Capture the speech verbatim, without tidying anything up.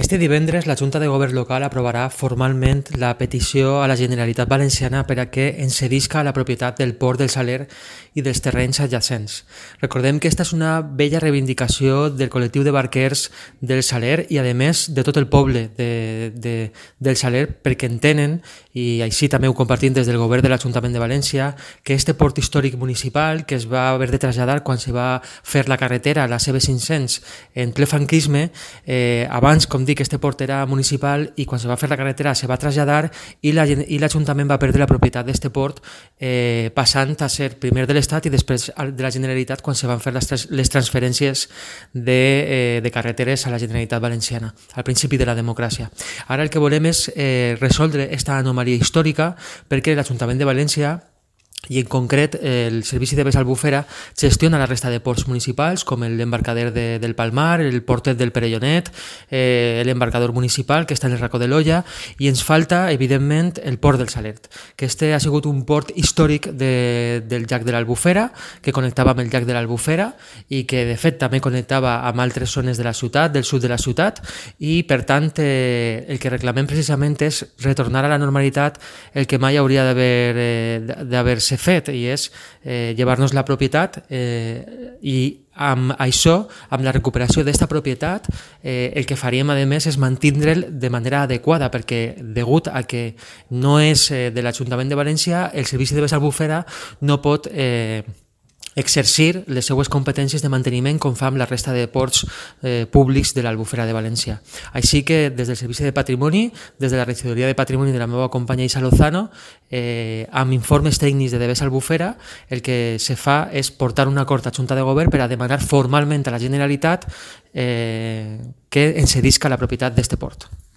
Este divendres la Junta de Govern local aprovarà formalment la petició a la Generalitat Valenciana per a que ens cedisca la propietat del Port del Saler i dels terrenys adjacents. Recordem que esta és una vella reivindicació del col·lectiu de barquers del Saler i, a més, de tot el poble de, de, del Saler, perquè entenen, i així també ho compartim des del govern de l'Ajuntament de València, que este port històric municipal, que es va haver de traslladar quan se va fer la carretera, la C B cinc-cents, en ple franquisme, eh, abans, com dic, este port era municipal i quan se va fer la carretera se va traslladar i l'Ajuntament la, va perdre la propietat d'este port, eh, passant a ser primer de l'Estat i després de la Generalitat quan se van fer les, les transferències de, eh, de carreteres a la Generalitat Valenciana, al principi de la democràcia. Ara el que volem és eh, resoldre aquesta anomalia històrica perquè l'Ajuntament de València i en concret el Servici de Vés Albufera gestiona la resta de ports municipals com l'embarcader de, del Palmar, el portet del Perellonet, eh, l'embarcador municipal que està en el racó de l'Olla, i ens falta evidentment el port del Salert, que este ha sigut un port històric de, del llac de l'Albufera, que connectava amb el llac de l'Albufera i que de fet també connectava amb altres zones de la ciutat, del sud de la ciutat, i per tant eh, el que reclamem precisament és retornar a la normalitat el que mai hauria d'haver eh, d'haver-se fet, i és eh, llevar-nos la propietat eh, i amb això, amb la recuperació d'esta propietat, eh, el que faríem a més és mantindre'l de manera adequada, perquè degut a que no és eh, de l'Ajuntament de València, el Servici de Vés Albufera no pot eh, exercir les seues competències de manteniment com fa amb la resta de ports eh, públics de l'Albufera de València. Així que des del Servici de Patrimoni, des de la Regidoria de Patrimoni de la meva companya Isa Lozano, eh, amb informes tècnics de Vés Albufera, el que se fa és portar un acord a Junta de Govern per a demanar formalment a la Generalitat eh, que ens cedisca la propietat d'este port.